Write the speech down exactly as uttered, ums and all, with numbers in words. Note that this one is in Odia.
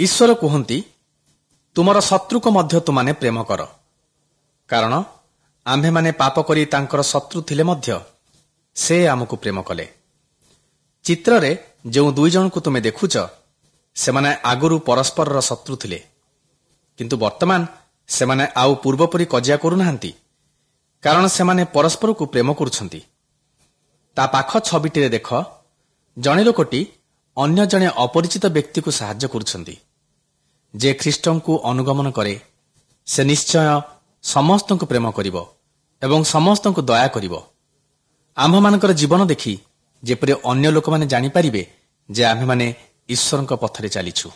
ଈଶ୍ୱର କୁହନ୍ତି, ତୁମର ଶତ୍ରୁକୁ ମଧ୍ୟ ତୁମାନେ ପ୍ରେମ କର। କାରଣ ଆମ୍ଭେମାନେ ପାପ କରି ତାଙ୍କର ଶତ୍ରୁ ଥିଲେ ମଧ୍ୟ ସେ ଆମକୁ ପ୍ରେମ କଲେ। ଚିତ୍ରରେ ଯେଉଁ ଦୁଇ ଜଣଙ୍କୁ ତୁମେ ଦେଖୁଛ, ସେମାନେ ଆଗରୁ ପରସ୍ପରର ଶତ୍ରୁ ଥିଲେ, କିନ୍ତୁ ବର୍ତ୍ତମାନ ସେମାନେ ଆଉ ପୂର୍ବପରି କଜିଆ କରୁନାହାନ୍ତି, କାରଣ ସେମାନେ ପରସ୍ପରକୁ ପ୍ରେମ କରୁଛନ୍ତି। ତା ପାଖ ଛବିଟିରେ ଦେଖ, ଜଣେ ଲୋକଟି ଅନ୍ୟ ଜଣେ ଅପରିଚିତ ବ୍ୟକ୍ତିକୁ ସାହାଯ୍ୟ କରୁଛନ୍ତି। ଯେ ଖ୍ରୀଷ୍ଟଙ୍କୁ ଅନୁଗମନ କରେ, ସେ ନିଶ୍ଚୟ ସମସ୍ତଙ୍କୁ ପ୍ରେମ କରିବ ଏବଂ ସମସ୍ତଙ୍କୁ ଦୟା କରିବ। ଆମ୍ଭମାନଙ୍କର ଜୀବନ ଦେଖି ଯେପରି ଅନ୍ୟ ଲୋକମାନେ ଜାଣିପାରିବେ ଯେ ଆମ୍ଭେମାନେ ଈଶ୍ୱରଙ୍କ ପଥରେ ଚାଲିଛୁ।